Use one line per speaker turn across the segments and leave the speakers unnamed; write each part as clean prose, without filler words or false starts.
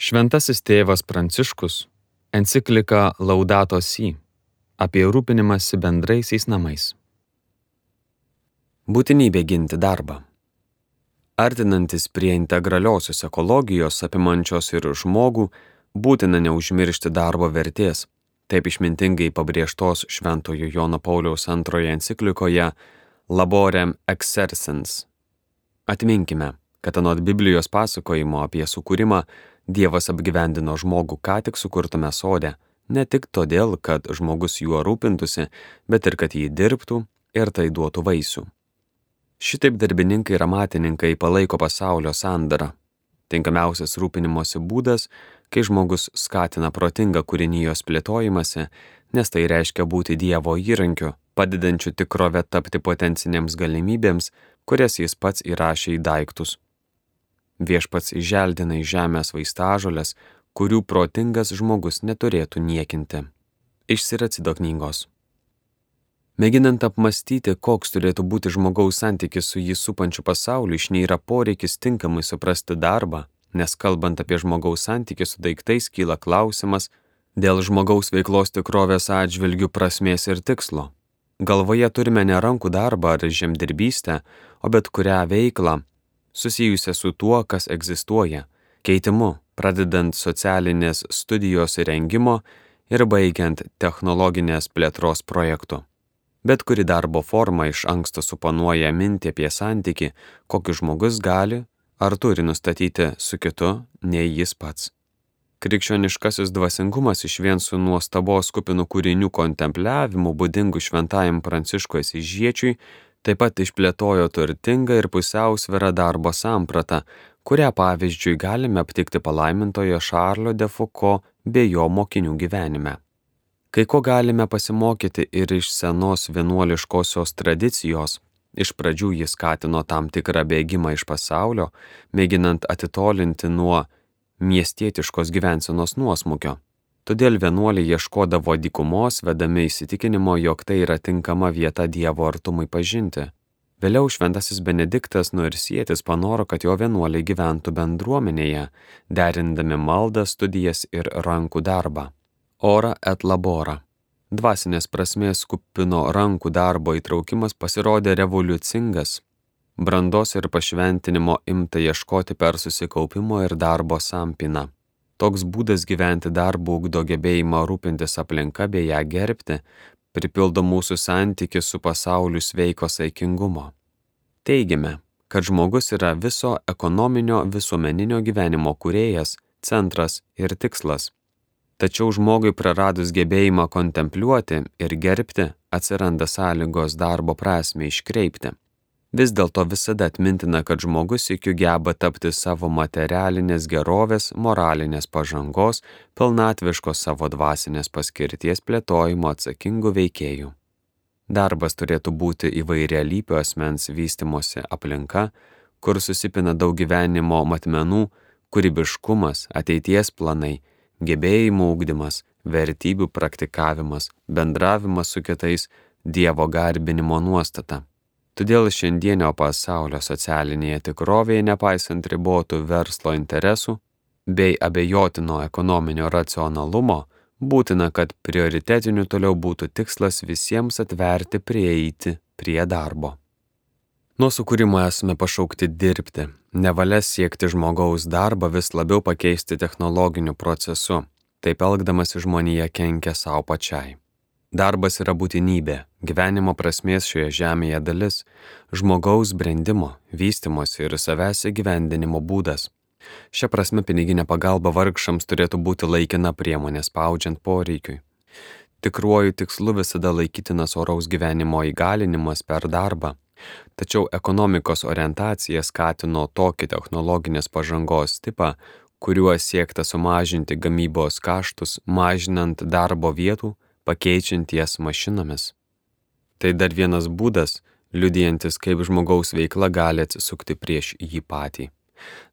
Šventasis tėvas Pranciškus enciklika Laudato Si apie rūpinimąsi bendraisiais namais. Būtinybė ginti darbą. Artinantis prie integraliosios ekologijos apimančios ir žmogų, būtina neužmiršti darbo vertės, taip išmintingai pabrėžtos Šventojo Jono Pauliaus II enciklikoje Laborem Exercens. Atminkime, kad anot Biblijos pasakojimo apie sukūrimą Dievas apgyvendino žmogų ką tik sukurtame sode, ne tik todėl, kad žmogus juo rūpintųsi, bet ir kad jį dirbtų ir tai duotų vaisių. Šitaip darbininkai ir amatininkai palaiko pasaulio sandarą. Tinkamiausias rūpinimosi būdas, kai žmogus skatina protingą kūrinijos plėtojimąsi, nes tai reiškia būti Dievo įrankiu, padedančiu tikrovę tapti potencinėms galimybėms, kurias jis pats įrašė į daiktus. Viešpats įželdina iš žemės vaistažoles, kurių protingas žmogus neturėtų niekinti. Iš Siracido knygos. Mėginant apmąstyti, koks turėtų būti žmogaus santykis su jį supančiu pasauliu, išnyra poreikis tinkamai suprasti darbą, nes kalbant apie žmogaus santykį su daiktais kyla klausimas dėl žmogaus veiklos tikrovės atžvilgių prasmės ir tikslo. Galvoje turime ne rankų darbą ar žemdirbystę, o bet kurią veiklą, susijusią su tuo, kas egzistuoja, keitimu, pradedant socialinės studijos įrengimo ir baigiant technologinės plėtros projektu. Bet kuri darbo forma iš anksto suponuoja mintį apie santykį, kokį žmogus gali ar turi nustatyti su kitu, nei jis pats. Krikščioniškasis dvasingumas išvien su nuostabos kupinų kūrinių kontempliavimu būdingu šventajam Pranciškui Asyžiečiui taip pat išplėtojo turtingą ir pusiausvyrą darbo sampratą, kurią pavyzdžiui galime aptikti palaimintojo Šarlo de Foucault bei jo mokinių gyvenime. Kai ko galime pasimokyti ir iš senos vienuoliškosios tradicijos, iš pradžių jis skatino tam tikrą bėgimą iš pasaulio, mėginant atitolinti nuo miestietiškos gyvensenos nuosmukio. Todėl vienuoliai ieškodavo dykumos, vedami įsitikinimo, jog tai yra tinkama vieta Dievo artumui pažinti. Vėliau šventasis Benediktas Nursietis panoro, kad jo vienuoliai gyventų bendruomenėje, derindami maldą, studijas ir rankų darbą. Ora et labora. Dvasinės prasmės kupino rankų darbo įtraukimas pasirodė revoliucingas. Brandos ir pašventinimo imta ieškoti per susikaupimo ir darbo sampyną. Toks būdas gyventi darbu ugdo gebėjimą rūpintis aplinka bei ją gerbti, pripildo mūsų santykį su pasauliu sveiko saikingumo. Teigime, kad žmogus yra viso ekonominio visuomeninio gyvenimo kūrėjas, centras ir tikslas. Tačiau žmogui praradus gebėjimą kontempliuoti ir gerbti, atsiranda sąlygos darbo prasmę iškreipti. Vis dėlto visada atmintina, kad žmogus sykiu geba tapti savo materialinės gerovės, moralinės pažangos, pilnatviškos savo dvasinės paskirties plėtojimo atsakingų veikėjų. Darbas turėtų būti įvairialypio asmens vystymosi aplinka, kur susipina daug gyvenimo matmenų, kūrybiškumas, ateities planai, gebėjimų ugdymas, vertybių praktikavimas, bendravimas su kitais, Dievo garbinimo nuostata. Todėl šiandienio pasaulio socialinėje tikrovėje, nepaisant ribotų verslo interesų bei abejotino ekonominio racionalumo, būtina, kad prioritetiniu toliau būtų tikslas visiems atverti prieiti prie darbo. Nuo sukūrimo esame pašaukti dirbti, nevalia siekti žmogaus darbą vis labiau pakeisti technologiniu procesu, taip elgdamas žmonija kenkia savo pačiai. Darbas yra būtinybė, gyvenimo prasmės šioje žemėje dalis, žmogaus brendimo, vystymosi ir savęs įgyvendinimo būdas. Šia prasme piniginė pagalba vargšams turėtų būti laikina priemonė spaudžiant poreikiui. Tikruoju tikslu visada laikytinas oraus gyvenimo įgalinimas per darbą, tačiau ekonomikos orientacija skatino tokį technologinės pažangos tipą, kuriuo siekta sumažinti gamybos kaštus, mažinant darbo vietų, pakeičiant jas mašinomis. Tai dar vienas būdas, liudijantis, kaip žmogaus veikla gali atsisukti prieš jį patį.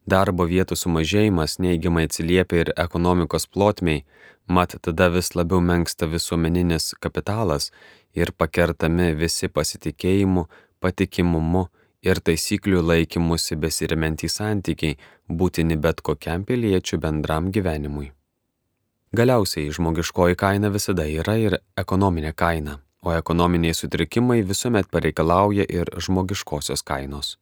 Darbo vietų sumažėjimas neigiamai atsiliepia ir ekonomikos plotmei, mat tada vis labiau menksta visuomeninis kapitalas ir pakertami visi pasitikėjimu, patikimumu ir taisyklių laikymusi besiremiantys santykiai būtini bet kokiam piliečių bendram gyvenimui. Galiausiai žmogiškoji kaina visada yra ir ekonominė kaina, o ekonominiai sutrikimai visuomet pareikalauja ir žmogiškosios kainos.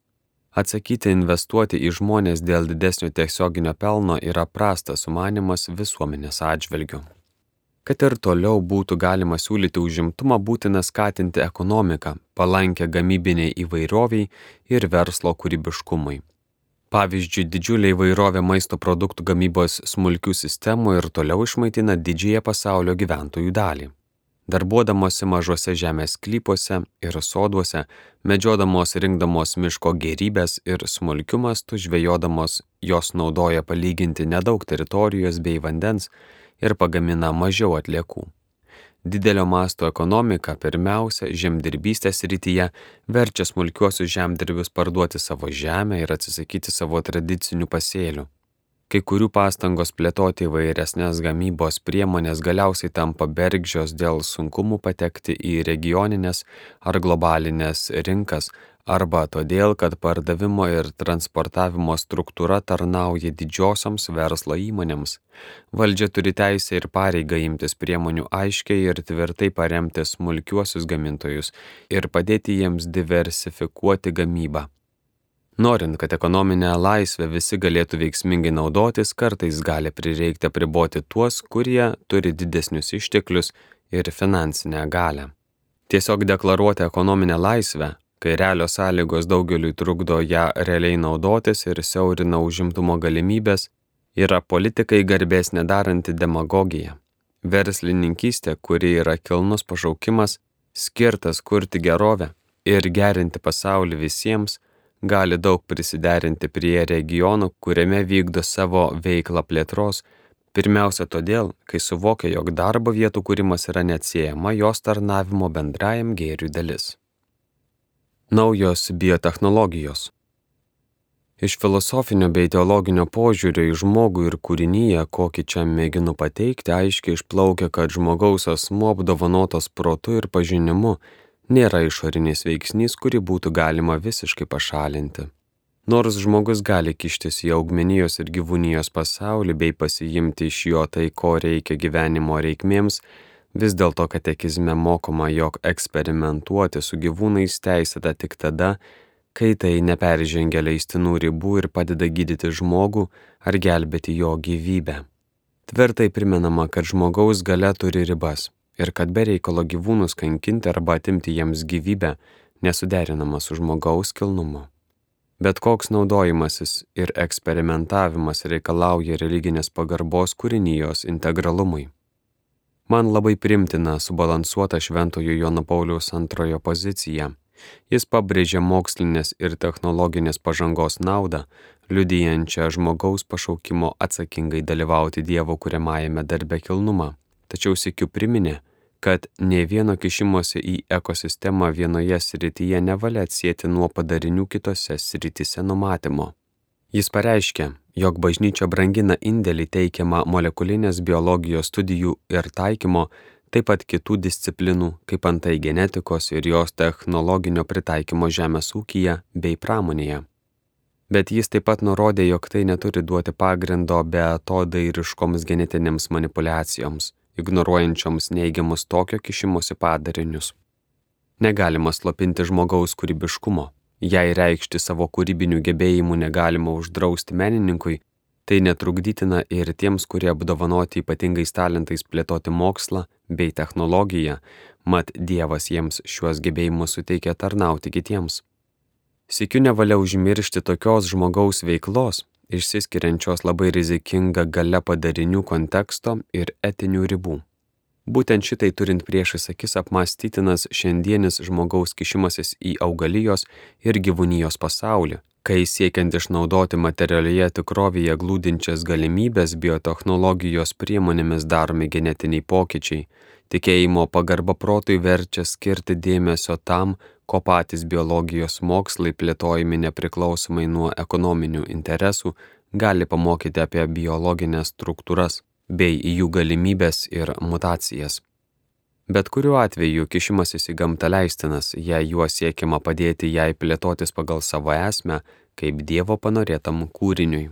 Atsakyti investuoti į žmonės dėl didesnio tiesioginio pelno yra prastas sumanymas visuomenės atžvilgiu. Kad ir toliau būtų galima siūlyti užimtumą, būtina skatinti ekonomiką, palankę gamybiniai įvairoviai ir verslo kūrybiškumui. Pavyzdžiui, didžiulė įvairovė maisto produktų gamybos smulkių sistemų ir toliau išmaitina didžiąją pasaulio gyventojų dalį. Darbuodamosi mažuose žemės sklypuose ir soduose, medžiodamos rinkdamos miško gėrybės ir smulkiu mastu žvejodamos, jos naudoja palyginti nedaug teritorijos bei vandens ir pagamina mažiau atliekų. Didelio masto ekonomika pirmiausia žemdirbystės srityje verčia smulkiuosius žemdirbius parduoti savo žemę ir atsisakyti savo tradicinių pasėlių. Kai kurių pastangos plėtoti įvairesnės gamybos priemonės galiausiai tampa bergždžios dėl sunkumų patekti į regioninės ar globalinės rinkas arba todėl, kad pardavimo ir transportavimo struktūra tarnauja didžiosioms verslo įmonėms. Valdžia turi teisę ir pareigą imtis priemonių aiškiai ir tvirtai paremti smulkiuosius gamintojus ir padėti jiems diversifikuoti gamybą. Norint, kad ekonominę laisvę visi galėtų veiksmingai naudotis, kartais gali prireikti apriboti tuos, kurie turi didesnius išteklius ir finansinę galią. Tiesiog deklaruoti ekonominę laisvę, kai realios sąlygos daugeliui trukdo ją realiai naudotis ir siaurina užimtumo galimybės, yra politikai garbės nedaranti demagogija. Verslininkystė, kuri yra kilnus pašaukimas, skirtas kurti gerovę ir gerinti pasaulį visiems, gali daug prisiderinti prie regionų, kuriame vykdo savo veiklą plėtros, pirmiausia todėl, kai suvokia, jog darbo vietų kūrimas yra neatsiejama jos tarnavimo bendrajam gėriui dalis. Naujos biotechnologijos. Iš filosofinio bei teologinio požiūrio į žmogų ir kūrinyje, kokį čia mėginu pateikti, aiškiai išplaukia, kad žmogaus asmuo apdovanotas protu ir pažinimu nėra išorinis veiksnys, kurį būtų galima visiškai pašalinti. Nors žmogus gali kištis į augmenijos ir gyvūnijos pasaulį bei pasiimti iš jo tai, ko reikia gyvenimo reikmėms, vis dėlto katekizme mokoma, jog eksperimentuoti su gyvūnais teisėta tik tada, kai tai neperžengia leistinų ribų ir padeda gydyti žmogų ar gelbėti jo gyvybę. Tvirtai primenama, kad žmogaus galia turi ribas ir kad be reikalo gyvūnus kankinti arba atimti jiems gyvybę nesuderinama su žmogaus kilnumu. Bet koks naudojimasis ir eksperimentavimas reikalauja religinės pagarbos kūrinijos integralumui. Man labai primtina subalansuota Šventojo Jono Pauliaus II pozicija. Jis pabrėžia mokslinės ir technologinės pažangos naudą, liudijančią žmogaus pašaukimo atsakingai dalyvauti Dievo kuriamajame darbe kilnumą. Tačiau sykiu priminė, kad nė vieno kišimosi į ekosistemą vienoje srityje nevalia atsieti nuo padarinių kitose srityse numatymo. Jis pareiškė, jog bažnyčia brangina indėlį teikiamą molekulinės biologijos studijų ir taikymo, taip pat kitų disciplinų, kaip antai genetikos ir jos technologinio pritaikymo žemės ūkyje bei pramonėje. Bet jis taip pat nurodė, jog tai neturi duoti pagrindo beatodairiškoms genetinėms manipuliacijoms, ignoruojančioms neigiamus tokio kišimosi padarinius. Negalima slopinti žmogaus kūrybiškumo. Jei reikšti savo kūrybinių gebėjimų negalima uždrausti menininkui, tai netrukdytina ir tiems, kurie apdovanoti ypatingais talentais plėtoti mokslą bei technologiją, mat Dievas jiems šiuos gebėjimus suteikia tarnauti kitiems. Sykiu nevalia užmiršti tokios žmogaus veiklos, išsiskiriančios labai rizikinga galia padarinių konteksto ir etinių ribų. Būtent šitai turint priešais akis apmąstytinas šiandienis žmogaus kišimasis į augalijos ir gyvūnijos pasaulį, kai siekiant išnaudoti materialioje tikrovėje glūdinčias galimybės biotechnologijos priemonėmis daromi genetiniai pokyčiai, tikėjimo pagarba protui verčia skirti dėmesio tam, ko patys biologijos mokslai plėtojami nepriklausomai nuo ekonominių interesų gali pamokyti apie biologinės struktūras bei jų galimybės ir mutacijas. Bet kuriuo atveju kišimasis į gamtą leistinas, jei juo siekiama padėti jai plėtotis pagal savo esmę, kaip Dievo panorėtam kūriniui.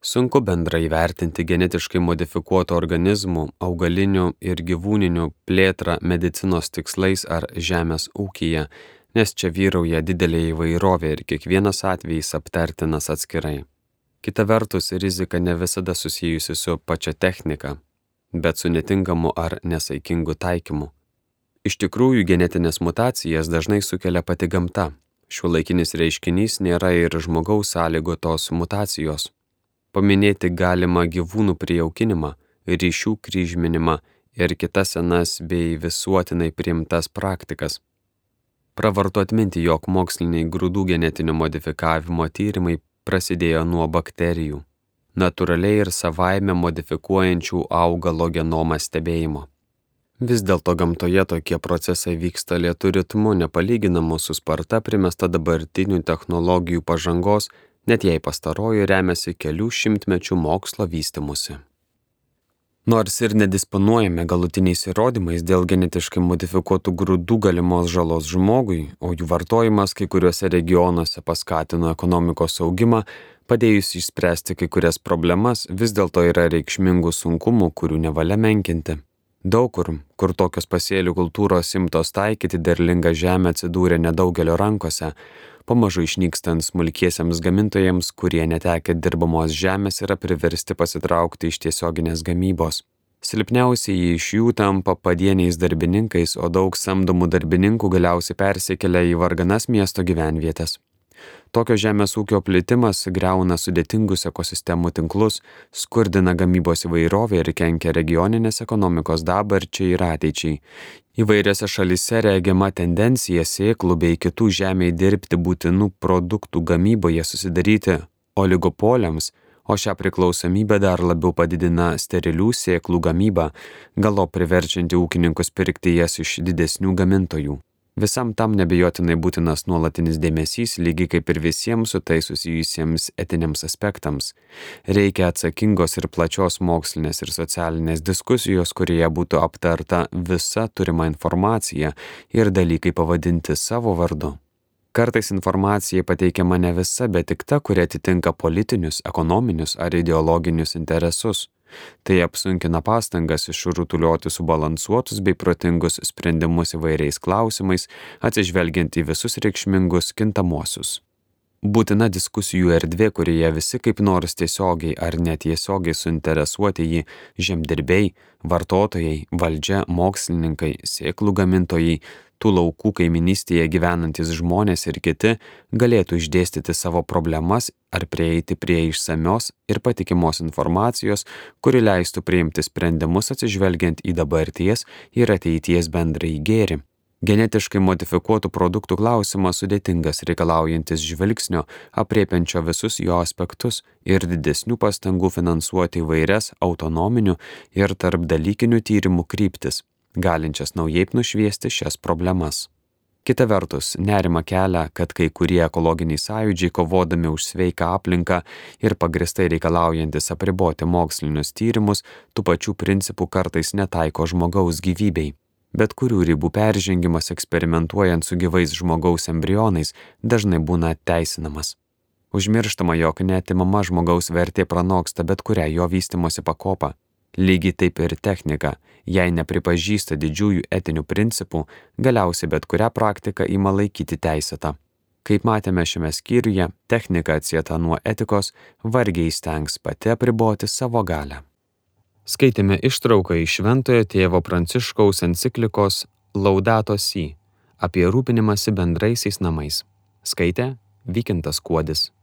Sunku bendrai įvertinti genetiškai modifikuotų organizmų, augalinių ir gyvūninių plėtrą medicinos tikslais ar žemės ūkyje, nes čia vyrauja didelė įvairovė ir kiekvienas atvejis aptartinas atskirai. Kita vertus, rizika ne visada susijusi su pačia technika, bet su netinkamu ar nesaikingu taikymu. Iš tikrųjų, genetinės mutacijas dažnai sukelia pati gamta. Šiuolaikinis reiškinys nėra ir žmogaus sąlygotos mutacijos. Paminėti galima gyvūnų prijaukinimą, ryšių kryžminimą ir kitas senas bei visuotinai priimtas praktikas. Pravartu atminti, jog moksliniai grūdų genetinio modifikavimo tyrimai prasidėjo nuo bakterijų, natūraliai ir savaime modifikuojančių augalo genomą stebėjimo. Vis dėlto gamtoje tokie procesai vyksta lėtu ritmu, nepalyginamu su sparta primesta dabartinių technologijų pažangos, net jei pastaroji remiasi kelių šimtmečių mokslo vystymusi. Nors ir nedisponuojame galutiniais įrodymais dėl genetiškai modifikuotų grūdų galimos žalos žmogui, o jų vartojimas kai kuriuose regionuose paskatino ekonomikos augimą, padėjus išspręsti kai kurias problemas, vis dėlto yra reikšmingų sunkumų, kurių nevalia menkinti. Daug kur tokios pasėlių kultūros imtos taikyti, derlinga žemė atsidūrė nedaugelio rankose, pamažu išnykstant smulkiesiems gamintojams, kurie netekę dirbamos žemės yra priversti pasitraukti iš tiesioginės gamybos. Silpniausiai iš jų tampa padieniais darbininkais, o daug samdomų darbininkų galiausiai persikelia į varganas miesto gyvenvietės. Tokio žemės ūkio plitimas griauna sudėtingus ekosistemų tinklus, skurdina gamybos įvairovę ir kenkia regioninės ekonomikos dabarčiai ir ateičiai. Įvairiose šalyse regima tendencija sėklų bei kitų žemėje dirbti būtinų produktų gamyboje susidaryti oligopoliams, o šią priklausomybę dar labiau padidina sterilių sėklų gamyba, galop priverčianti ūkininkus pirkti jas iš didesnių gamintojų. Visam tam nebejotinai būtinas nuolatinis dėmesys, lygiai kaip ir visiems su tai susijusiems etiniams aspektams. Reikia atsakingos ir plačios mokslinės ir socialinės diskusijos, kurioje būtų aptarta visa turima informacija ir dalykai pavadinti savo vardu. Kartais informacija pateikiama ne visa, bet tik ta, kuri atitinka politinius, ekonominius ar ideologinius interesus. Tai apsunkina pastangas išrutuliuoti subalansuotus bei protingus sprendimus įvairiais klausimais, atsižvelgiant į visus reikšmingus kintamuosius. Būtina diskusijų erdvė, kurioje visi kaip nors tiesiogiai ar netiesiogiai suinteresuoti jį žemdirbiai, vartotojai, valdžia, mokslininkai, sėklų gamintojai, tų laukų kaiminystėje gyvenantis žmonės ir kiti galėtų išdėstyti savo problemas ar prieiti prie išsamios ir patikimos informacijos, kuri leistų priimti sprendimus atsižvelgiant į dabarties ir ateities bendrąjį gėrį. Genetiškai modifikuotų produktų klausimas sudėtingas, reikalaujantis žvilgsnio, aprėpiančio visus jo aspektus ir didesnių pastangų finansuoti įvairias autonominių ir tarpdalykinių tyrimų kryptis, galinčias naujai nušviesti šias problemas. Kita vertus, nerima kelia, kad kai kurie ekologiniai sąjūdžiai kovodami už sveiką aplinką ir pagristai reikalaujantis apriboti mokslinius tyrimus, tų pačių principų kartais netaiko žmogaus gyvybei. Bet kurių ribų peržengimas eksperimentuojant su gyvais žmogaus embrionais dažnai būna teisinamas. Užmirštama, jog neatimama žmogaus vertė pranoksta bet kurią jo vystymosi pakopą. Lygiai taip ir technika, jei nepripažįsta didžiųjų etinių principų, galiausiai bet kurią praktiką ima laikyti teisėtą. Kaip matėme šiame skyriuje, technika atsieta nuo etikos vargiai stengs pati apriboti savo galią. Skaitėme ištrauką iš Šventojo tėvo Pranciškaus enciklikos Laudato Si apie rūpinimąsi bendraisiais namais. Skaitė Vykintas Kuodis.